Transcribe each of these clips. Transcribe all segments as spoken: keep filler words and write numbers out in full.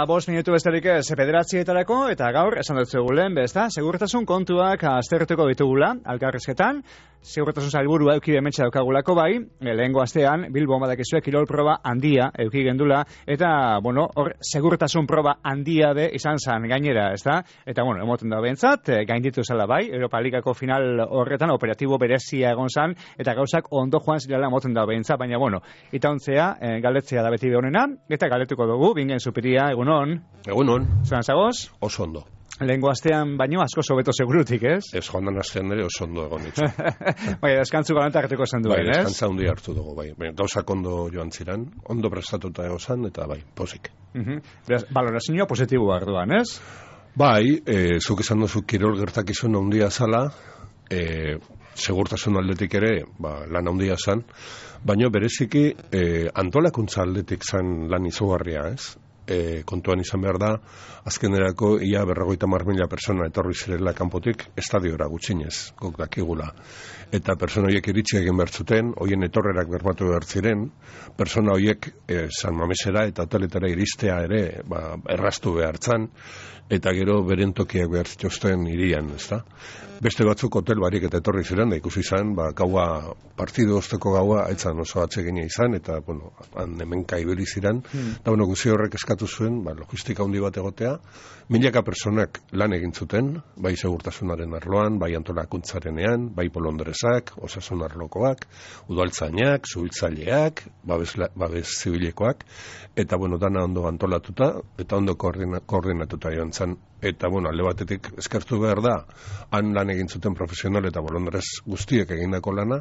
bost minutu besterik ez bederatzietarako, eta gaur, esan dut zegoen, bezta, segurtasun kontuak aztertuko ditugula, alkarrizketan, segurtasun sailburua euki bementsa daukagulako bai, lehengo astean, Bilbon badakizue kirol proba handia euki gendula, eta, bueno, hor, segurtasun proba handia be izan zan gainera, ezta? Eta, bueno, emoten da behintzat, gainditu zela bai, Europa Ligako final horretan operatibo berezia egon zan, eta gauzak ondo joan zirela emoten da behintzat, baina, bueno, itauntzea, e, galdetzea da beti honena, eta galdetuko dugu, bingen Zupiria, egunon. Egunon. Zeran zagoz? Oso ondo. Lehengo astean baino asko sobeto segurutik, ez? Ez joan den astean ere oso ondo egon ditzu. Bai, deskantzu galanta hartuko zen duen, bai, ez? Deskantza hundi hartu dugu, bai. Gauzak ondo joan ziren, ondo prestatuta egozan, eta bai, pozik. Uh-huh. Beraz, balorazioa positiboa arduan, ez? Bai, e, zuk esan duzu kirol gertakizun handia zala, e, segurtasun aldetik ere, ba, lan handia zan, baina bereziki e, antolakuntza aldetik zan lan izugarria, ez? E, kontuan izan behar da, azkenerako ia berrogeita hamar mila persona etorri zirela kanpotik estadiora gutxinez, gok dakigula. Eta persona horiek iritsi egin behar zuten, hoien etorrerak bermatu behar ziren, persona horiek e, San Mamesera eta hoteletara iristea ere ba, erraztu behar zan, eta gero beren tokiak behar zituzten irian, ezta? Beste batzuk hotel barik eta etorri ziren, da ikusi izan, ba, gaua, partidu osteko gaua, aitzan oso atsegina izan, eta, bueno, han hemenka ibili ziren, hmm. eta, bueno, guzi horrek eskatu zuen, ba, logistika handi bat egotea, milaka personak lan egin zuten, bai segurtasunaren arloan, bai antolakuntzarenean, bai bolondresak, osasun arlokoak, udaltzainak, zubiltzaileak, babes, babes zibilekoak, eta, bueno, dana ondo antolatuta, eta ondo koordina, koordinatuta joan zen. Eta, bueno, alde batetik eskertu behar da, han lan egin zuten profesional eta bolondrez guztiek egindako lana,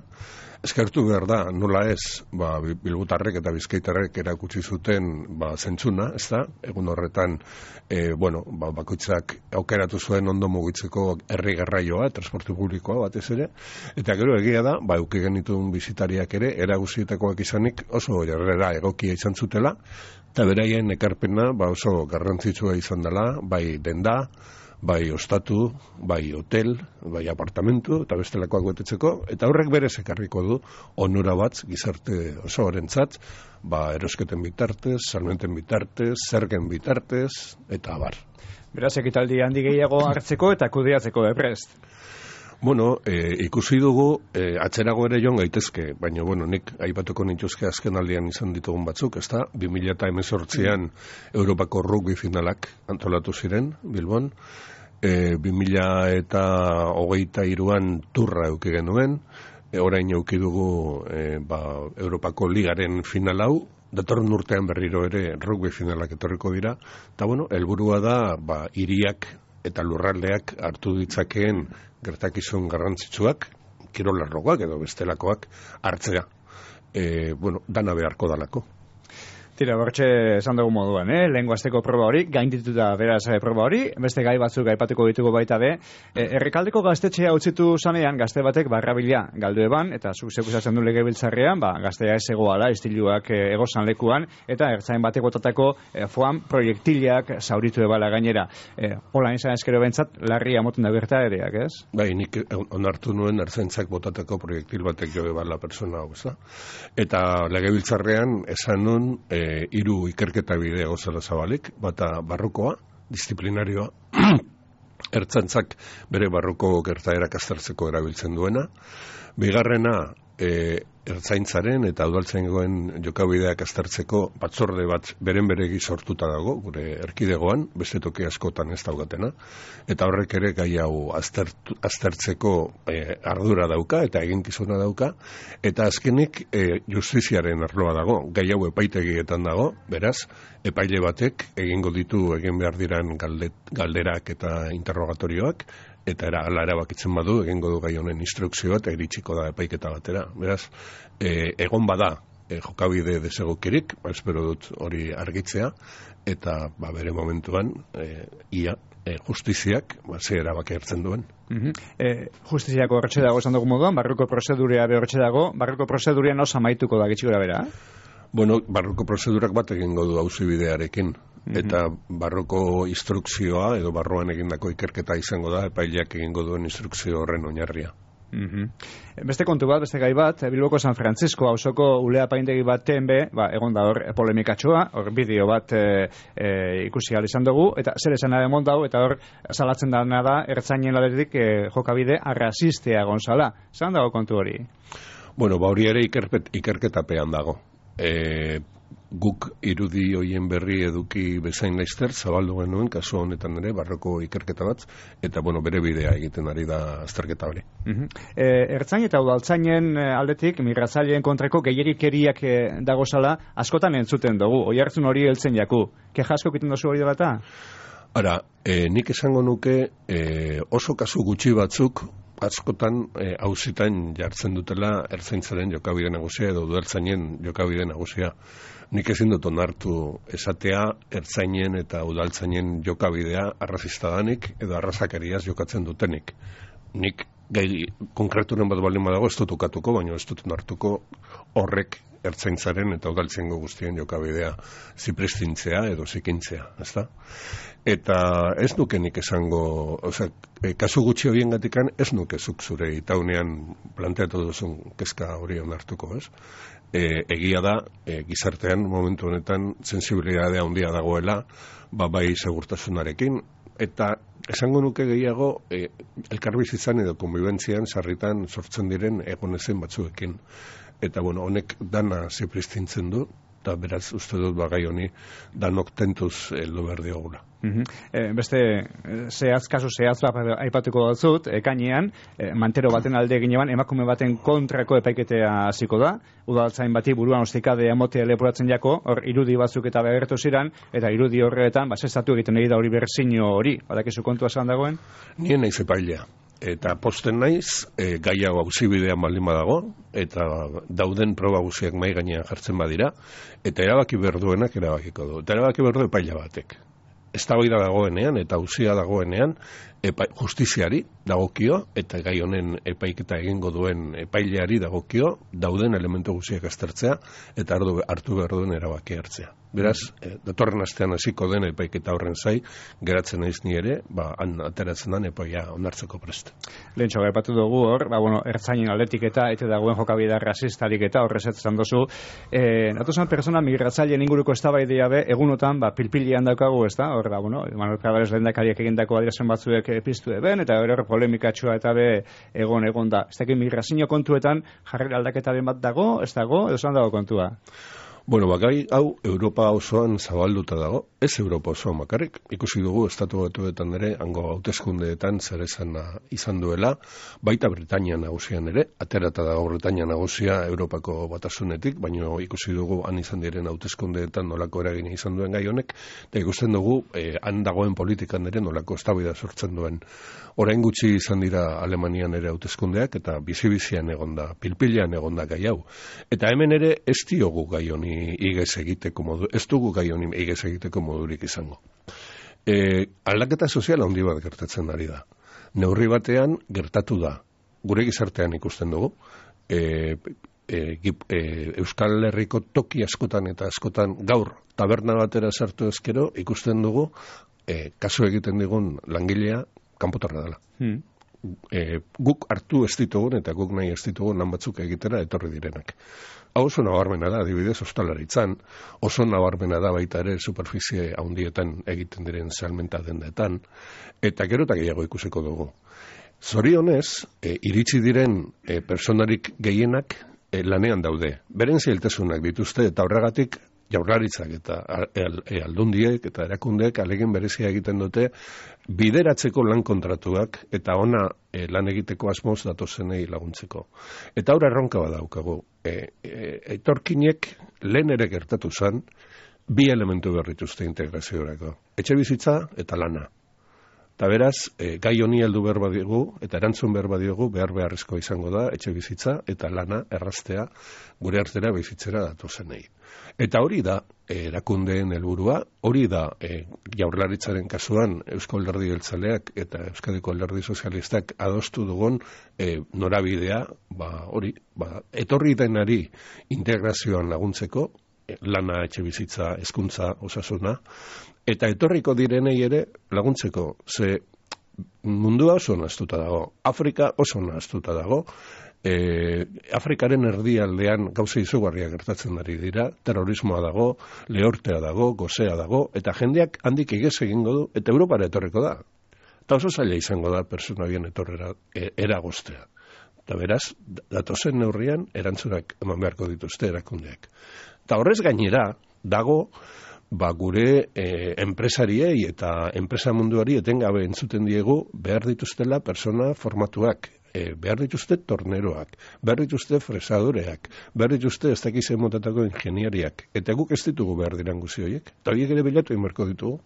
eskertu behar da, nola ez, ba, bilbutarrek eta bizkaitarrek erakutsi zuten ba, zentzuna, ez da, egun horretan, e, bueno, ba, bakoitzak aukeratu zuen ondo mugitzeko herri garraioa, transporte publikoa batez ere, eta gero egia da, ba, euki genituen bizitariak ere, eraguzietakoak izanik oso jarrera egokia izan zutela, eta beraien ekarpena ba, oso garrantzitsua izan dela, bai denda, bai ostatu, bai hotel, bai apartamentu, eta bestelakoak betetzeko, eta horrek berez ekarriko du onura bat gizarte oso horentzat, ba, erosketen bitartez, salmenten bitartez, zergen bitartez, eta abar. Beraz, ekitaldi handi gehiago hartzeko eta kudeatzeko eprest. Bueno, e, ikusi dugu, e, atzerago ere joan gaitezke, baina, bueno, nik aipatuko nituzke azken aldian izan ditugun batzuk, ezta? bi mila hemezortzian Europako rugby finalak antolatu ziren, Bilbon, e, bi mila hogeita hiruan turra euki genuen, e, orain euki dugu e, ba, Europako ligaren final hau, datorren urtean berriro ere rugby finalak etorriko dira, eta, bueno, helburua da, ba, hiriak eta lurraldeak hartu ditzakeen gertakizun garrantzitsuak, kirolarrokoak edo bestelakoak hartzea. E, bueno, dana beharko dalako. Tira, bortxe esan dugu moduan, eh? Lehengo azteko proba hori, gaindituta beraz eh, proba hori, beste gai batzuk aipatuko ditugu baita be. E, errekaldeko gaztetxea utzitu zanean, gazte batek barrabila galdu eban, eta zuk zekusatzen du legebiltzarrean, ba, gaztea ez egoala, istiluak e, egozan lekuan, eta ertzain batek botatako e, foam proiektilak zauritu ebala gainera. E, Hola izan eskero bentsat, larria moten da gerta ereak, ez? Bai, nik onartu nuen ertzaintzak botatako proiektil batek jo ebala persona hau, ez da? Eta legebiltzarrean esan nun, e, hiru ikerketa bidea gozala zabalik, bata barrukoa, disiplinarioa, ertzantzak bere barruko gertaerak aztertzeko erabiltzen duena, bigarrena e, ertzaintzaren eta udaltzaingoen jokabideak aztertzeko batzorde bat beren beregi sortuta dago, gure erkidegoan, beste toki askotan ez daugatena, eta horrek ere gai hau aztertu, aztertzeko e, ardura dauka eta eginkizuna dauka, eta azkenik e, justiziaren arloa dago, gai hau epaitegietan dago, beraz, epaile batek egingo ditu egin behar diran galde, galderak eta interrogatorioak, eta era ala erabakitzen badu egingo du gai honen instrukzioa eta iritsiko da epaiketa batera. Beraz, e, egon bada e, jokabide desegokirik, ba, espero dut hori argitzea, eta ba, bere momentuan e, ia e, justiziak ba, ze erabaki hartzen duen. Uh-huh. E, justiziako horretxe dago esan dugu moduan, barruko prozeduria horretxe dago, barruko prozeduria noz amaituko da gitxikora bera? Bueno, barruko prozedurak bat egingo du auzibidearekin. Eta barroko instrukzioa edo barroan egindako ikerketa izango da epaileak egingo duen instrukzio horren oinarria. Mm-hmm. Beste kontu bat, beste gai bat, Bilboko San Francisco auzoko ulea paindegi baten be, ba, egon da hor polemikatxoa, hor bideo bat e, e, ikusi ahal izan dugu, eta zer esan da emon dau, eta hor salatzen dana da, ertzainen ladetik e, jokabide arrazistea gonzala. Zan dago kontu hori? Bueno, ba hori ere ikerpet, ikerketapean dago. E, guk irudi hoien berri eduki bezain laizter, zabaldu genuen, kasu honetan ere, barroko ikerketa bat, eta bueno, bere bidea egiten ari da azterketa hori. Uh-huh. E, ertzain eta udaltzainen aldetik, migratzaileen kontrako gehiagikeriak e, dagozala, askotan entzuten dugu, oi hartzun hori heltzen jaku. Keja asko egiten dozu hori dela eta? Ara, e, nik esango nuke e, oso kasu gutxi batzuk, askotan auzitan e, jartzen dutela ertzaintzaren jokabide nagusia edo udaltzainen jokabide nagusia. Nik ezin dut onartu esatea ertzainen eta udaltzainen jokabidea arrazista danik edo arrazakeriaz jokatzen dutenik. Nik gai konkreturen bat baldin badago ez dut ukatuko, baina ez dut onartuko horrek ertzaintzaren eta udaltzaingo guztien jokabidea zipristintzea edo zikintzea, ezta? Eta ez nuke nik esango, osea, kasu gutxi horiengatikan ez nuke zuk zure itaunean planteatu duzun kezka hori onartuko, ez? E, egia da, e, gizartean momentu honetan sensibilidadea handia dagoela, ba, bai segurtasunarekin, eta esango nuke gehiago e, elkarbizitzan edo konbibentzian sarritan sortzen diren egonezen batzuekin. Eta bueno, honek dana zipristintzen du, eta beraz uste dut bagai honi danok tentuz heldu behar diogula. Uh-huh. E, beste zehaz, kasu zehaz aipatuko dut, ekainean, e, mantero baten alde ginean, emakume baten kontrako epaiketea hasiko da, udaltzain bati buruan ostikadea emotea leporatzen jako, hor irudi batzuk eta begertu ziren, eta irudi horretan, basestatu egiten egin da hori berzino hori, badakizu kontua esan dagoen? Nien naiz epailea. Eta posten naiz, e, gai hau auzibidean baldin badago, eta dauden proba guziak mai gainean jartzen badira, eta erabaki berduenak erabakiko du. Eta erabaki berdu epaila batek. Ez da hori da dagoenean, eta auzia dagoenean, epa, justiziari dagokio, eta gai honen epaiketa egingo duen epaileari dagokio, dauden elementu guziak aztertzea, eta hartu, hartu behar duen erabaki hartzea. Beraz, e, datorren astean hasiko den epaiketa horren zai, geratzen naiz ni ere, ba, han ateratzen den epaia onartzeko prest. Lehentxo, gaipatu dugu hor, ba, bueno, ertzainen aldetik eta eta dagoen jokabidea rasistarik eta horrezetzen dozu. E, Natuzan persona migratzaileen inguruko eztabaidea be, egunotan, ba, pilpilian daukagu, ez da? Hor, ba, bueno, Manuel Pradares lehendakariak egindako adierazpen batzuek piztu eben, eta hor polemikatxoa eta be egon egon da. Ez dakit migrazio kontuetan jarrera aldaketaren bat dago, ez dago, edo zan dago kontua? Bueno, bakai hau Europa osoan zabalduta dago, ez Europa osoan bakarrik. Ikusi dugu estatu batuetan ere, hango hauteskundeetan zer esana izan duela, baita Britania nagusian ere, aterata dago Britania nagusia Europako batasunetik, baina ikusi dugu han izan diren hauteskundeetan nolako eragina izan duen gai honek, eta ikusten dugu eh, han dagoen politikan ere nolako eztabaida sortzen duen. Orain gutxi izan dira Alemanian ere hauteskundeak, eta bizi-bizian egonda, pilpilean egonda gai hau. Eta hemen ere ez diogu gai honi igez egiteko modu, ez dugu gai honi igez egiteko modurik izango. E, aldaketa sozial handi bat gertatzen ari da. Neurri batean gertatu da. Gure gizartean ikusten dugu. E, e, e, Euskal Herriko toki askotan eta askotan gaur taberna batera sartu ezkero ikusten dugu e, kasu egiten digun langilea kanpotarra dela. Hmm. E, guk hartu ez ditugun eta guk nahi ez ditugun lan batzuk egitera etorri direnak. Hau oso nabarmena da, adibidez, ostalaritzan, oso nabarmena da baita ere superficie handietan egiten diren salmenta dendetan, eta gero eta gehiago ikusiko dugu. Zorionez, e, iritsi diren e, personarik gehienak e, lanean daude. Beren zailtasunak dituzte eta horregatik Jaurlaritzak eta aldundiek eta erakundeek alegin berezia egiten dute bideratzeko lan kontratuak eta ona e, lan egiteko asmoz datozenei laguntzeko. Eta aurra erronka badaukagu. E, e, etorkinek lehen ere gertatu zen bi elementu berrituzte integraziorako. Etxe bizitza eta lana. Eta beraz, e, gai honi heldu behar badiogu, eta erantzun behar badiogu, behar beharrezko izango da, etxe bizitza eta lana erraztea gure artera bizitzera datozenei. Eta hori da, e, erakundeen helburua, hori da, e, Jaurlaritzaren kasuan, Eusko Alderdi Jeltzaleak eta Euskadiko Alderdi Sozialistak adostu dugun e, norabidea, ba, hori, ba, etorri denari integrazioan laguntzeko, e, lana, etxe bizitza, hezkuntza, osasuna, eta etorriko direnei ere laguntzeko, ze mundua oso nahaztuta dago, Afrika oso nahaztuta dago, e, Afrikaren erdialdean gauza izugarria gertatzen ari dira, terrorismoa dago, lehortea dago, gozea dago, eta jendeak handik egez egingo du, eta Europara etorriko da. Eta oso zaila izango da persona bien etorrera e, eragoztea. Eta beraz, datozen neurrian erantzunak eman beharko dituzte erakundeak. Eta horrez gainera, dago, ba, gure e, enpresariei eta enpresa munduari etengabe entzuten diegu behar dituztela persona formatuak, e, behar dituzte torneroak, behar dituzte fresadoreak, behar dituzte ez dakize motatako ingeniariak, eta guk ez ditugu behar diran guzi horiek, eta horiek ere bilatu inberko ditugu.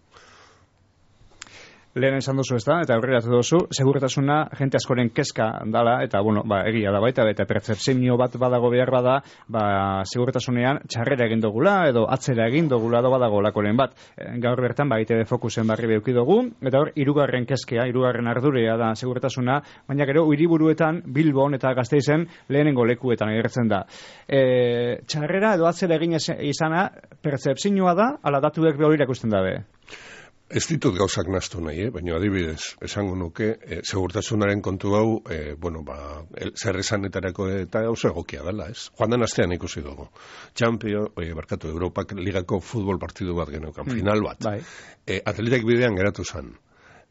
Lehen esan duzu ez da, eta aurreratu duzu, segurtasuna jente askoren kezka dala, eta bueno, ba, egia da baita, eta pertzepzio bat badago behar bada, ba, segurtasunean txarrera egin dugula, edo atzera egin dugula, edo badago lakoren bat. Gaur bertan, ba, I T V Fokusen barri beuki dugu, eta hor, hirugarren kezkea, hirugarren ardurea da segurtasuna, baina gero, hiriburuetan, Bilbon eta Gasteizen lehenengo lekuetan agertzen da. E, txarrera edo atzera egin izana, pertzepzioa da, ala datuek behor irakusten dabe. Ez ditut gauzak naztu nahi, eh? Baina adibidez, esango nuke, eh, segurtasunaren kontu hau, eh, bueno, ba, el, zer esanetarako eta oso egokia dela, ez? Joan den astean ikusi dugu. Champion, oie, barkatu, Europak ligako futbol partidu bat geneukan, mm, final bat. Bai. Eh, atletek bidean geratu zan.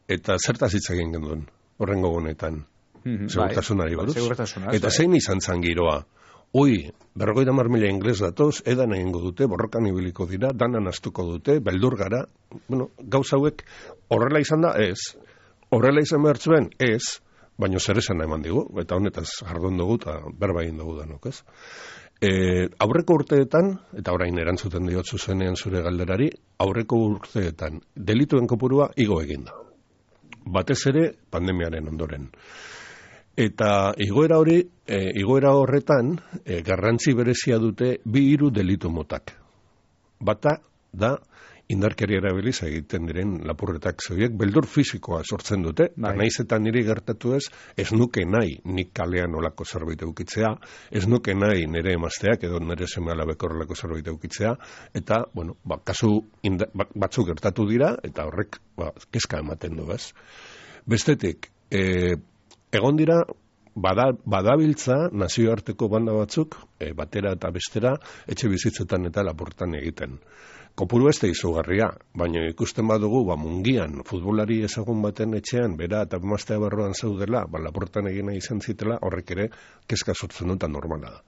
Eta zertaz hitz egin genuen, horrengo honetan, mm-hmm, segurtasunari buruz. Bai, eta zein izan zan giroa? Ui, berrogeita hamar mila ingles datoz, edan egingo dute, borrokan ibiliko dira, danan astuko dute, beldur gara, bueno, gauza hauek horrela izan da, ez. Horrela izan behar zuen, ez, baina zer esan eman digu, eta honetaz jardun dugu, eta berba egin dugu denok, ez. E, aurreko urteetan, eta orain erantzuten diot zuzenean zure galderari, aurreko urteetan delituen kopurua igo eginda. Batez ere, pandemiaren ondoren. Eta igoera hori, e, igoera horretan, e, garrantzi berezia dute bi hiru delitu motak. Bata da indarkeria erabiliz egiten diren lapurretak zoiek, beldur fisikoa sortzen dute, bai. Naiz eta niri gertatu ez, ez nuke nahi nik kalean olako zerbait eukitzea, ez nuke nahi nire emazteak edo nire seme alabek horrelako zerbait eukitzea, eta, bueno, ba, kasu inda, ba, batzuk gertatu dira, eta horrek, ba, kezka ematen du, ez? Bestetik, e, egon dira, bada, badabiltza nazioarteko banda batzuk, e, batera eta bestera, etxe bizitzetan eta lapurtan egiten. Kopuru ez da izugarria, baina ikusten badugu, ba, mungian, futbolari ezagun baten etxean, bera eta emaztea barruan zaudela, ba, lapurtan egina izan zitela, horrek ere, kezka sortzen dut normala da.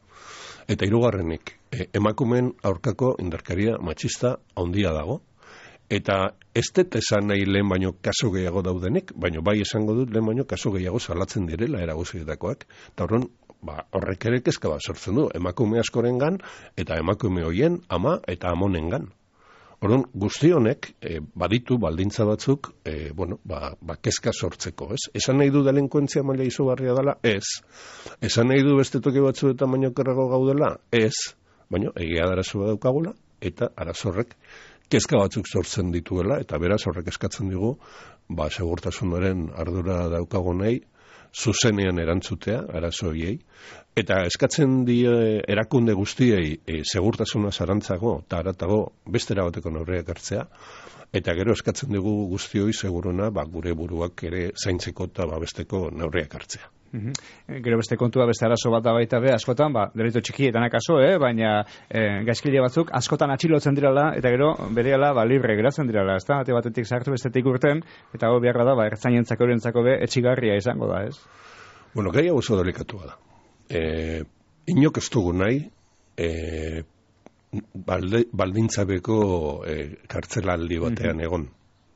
Eta hirugarrenik, e, emakumeen aurkako indarkeria matxista handia dago, eta ez dut esan nahi lehen baino kaso gehiago daudenik, baino bai esango dut lehen baino kaso gehiago salatzen direla eraguzietakoak. Eta horren, ba, horrek ere kezka bat sortzen du, emakume askorengan eta emakume hoien ama eta amonengan. Orduan, guzti honek e, baditu baldintza batzuk, e, bueno, ba, ba, kezka sortzeko, ez? Esan nahi du delinkuentzia maila izugarria dela? Ez. Esan nahi du beste toki batzuetan baino kerrago gaudela? Ez. Baina, egia da arazo bat daukagula, eta arazo horrek kezka batzuk sortzen dituela, eta beraz horrek eskatzen digu, ba, segurtasunaren ardura daukagonei, zuzenean erantzutea, arazo horiei, eta eskatzen die erakunde guztiei e, segurtasuna zarantzago, eta aratago bestera bateko neurriak hartzea, eta gero eskatzen dugu guztioi seguruna, ba, gure buruak ere zaintzeko eta babesteko neurriak hartzea. Mm-hmm. Gero beste kontua beste arazo bat da baita be, askotan, ba, delito txikietan akaso, eh? Baina eh, gaizkile batzuk askotan atxilotzen dirala, eta gero berehala ba, libre geratzen dirala, ezta? Ate batetik sartu bestetik urten, eta hau beharra da, ba, ertzainentzako horientzako be, etxigarria izango da, ez? Bueno, gai hau oso delikatua da. E, inok ez dugu nahi, e, balde, baldintzabeko e, kartzelaldi batean mm-hmm. egon.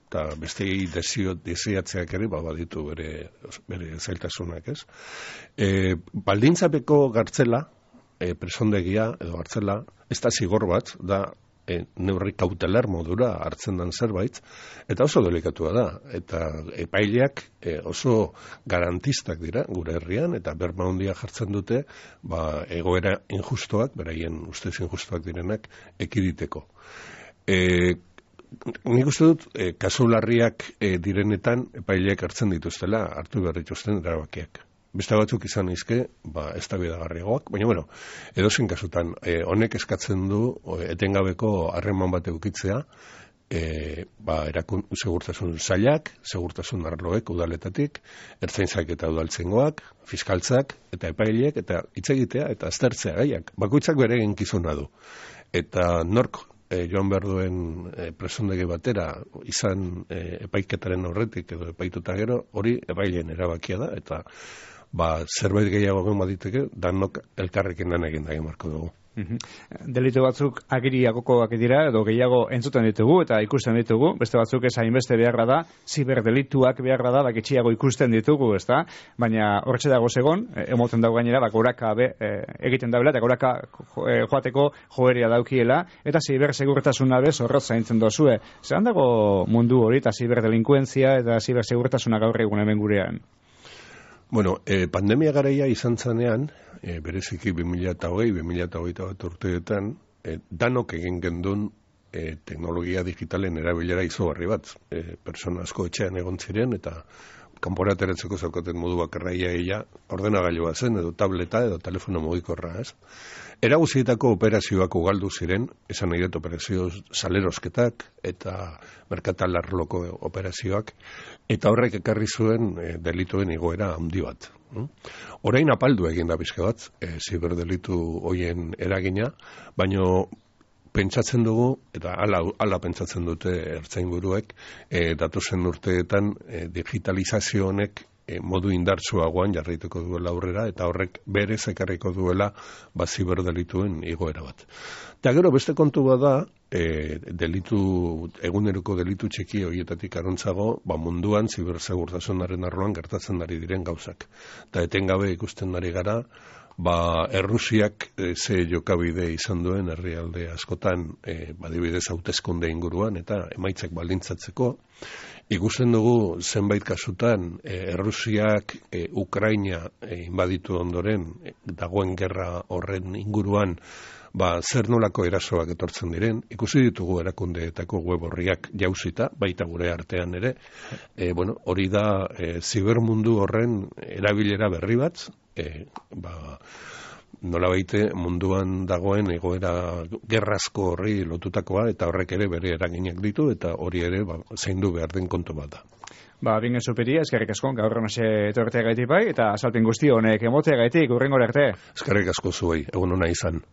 Eta beste desio, desiatzeak ere, ba, baditu bere, bere zailtasunak, ez? E, baldintzapeko gartzela, e, presondegia edo gartzela, ez da zigor bat, da e, neurri kautelar modura hartzen dan zerbait, eta oso delikatua da. Eta epaileak e, oso garantistak dira gure herrian, eta berma handia jartzen dute, ba, egoera injustoak, beraien ustez injustoak direnak, ekiditeko. E, Nik uste dut, e, kasu larriak e, direnetan epaileak hartzen dituztela, hartu behar dituzten erabakiak. Beste batzuk izan izke, ba, ez da bidagarriagoak, baina, bueno, edozein kasutan, e, honek eskatzen du o, etengabeko harreman bat eukitzea, e, ba, erakun, segurtasun zailak, segurtasun arloek udaletatik, ertzaintzak eta udaltzengoak, fiskaltzak eta epaileek, eta hitz egitea eta aztertzea gaiak. Bakoitzak bere eginkizuna du. Eta nork e, joan behar duen e, presondegi batera izan e, epaiketaren horretik edo epaituta gero, hori epaileen erabakia da, eta ba, zerbait gehiago egon baditeke, danok elkarrekin lan egin da egin marko dugu. Delitu batzuk agiriagokoak dira edo gehiago entzuten ditugu eta ikusten ditugu, beste batzuk ez hainbeste beharra da, ziberdelituak beharra da, bakitxiago ikusten ditugu, ezta? Baina horretxe dago segon, emoten dago gainera, bak goraka be, e, egiten daula eta goraka e, joateko joeria daukiela, eta zibersegurtasuna bez horrot zaintzen dozue. Zeran dago mundu hori eta ziberdelinkuentzia eta zibersegurtasuna gaur egun hemen gurean? Bueno, eh, pandemia garaia izan zanean, eh, bereziki bi mila hogei, bi mila hogeita bat urteetan, eh, danok egin gendun eh, teknologia digitalen erabilera izugarri bat. Eh, persona asko etxean egon ziren, eta kanpora ateratzeko zaukaten modu bakarraia eia, ordenagailua zen, edo tableta, edo telefono mugikorra, ez? Era guztietako operazioak ugaldu ziren, esan nahi dut operazio salerosketak eta merkatal arloko operazioak, eta horrek ekarri zuen e, delituen igoera handi bat. Orain apaldu egin da bizke bat, e, ziberdelitu hoien eragina, baino pentsatzen dugu, eta ala, ala pentsatzen dute ertzainburuek, e, datozen urteetan e, digitalizazio honek e, modu indartsuagoan jarraituko duela aurrera, eta horrek berez ekarriko duela ba, ziberdelituen igoera bat. Eta gero beste kontu bada, e, delitu, eguneroko delitu txiki horietatik arontzago, ba, munduan zibersegurtasunaren arloan gertatzen ari diren gauzak. Eta etengabe ikusten ari gara, ba, Errusiak e, ze jokabide izan duen herrialde askotan, e, badibidez hauteskunde inguruan, eta emaitzak baldintzatzeko. Ikusten dugu zenbait kasutan, e, Errusiak e, Ukraina e, inbaditu ondoren, e, dagoen gerra horren inguruan, ba, zer nolako erasoak etortzen diren, ikusi ditugu erakundeetako web horriak jauzita, baita gure artean ere, e, bueno, hori da e, zibermundu horren erabilera berri bat, e, ba, nola baite munduan dagoen egoera gerrazko horri lotutakoa, eta horrek ere bere eraginak ditu, eta hori ere ba, zaindu behar den kontu bat da. Ba, bingen superia, eskerrik asko, gaur honase etortea gaitik bai, eta azalpen guzti honek emotea gaitik, urrengora arte. Eskerrik asko zuei, egun hona izan.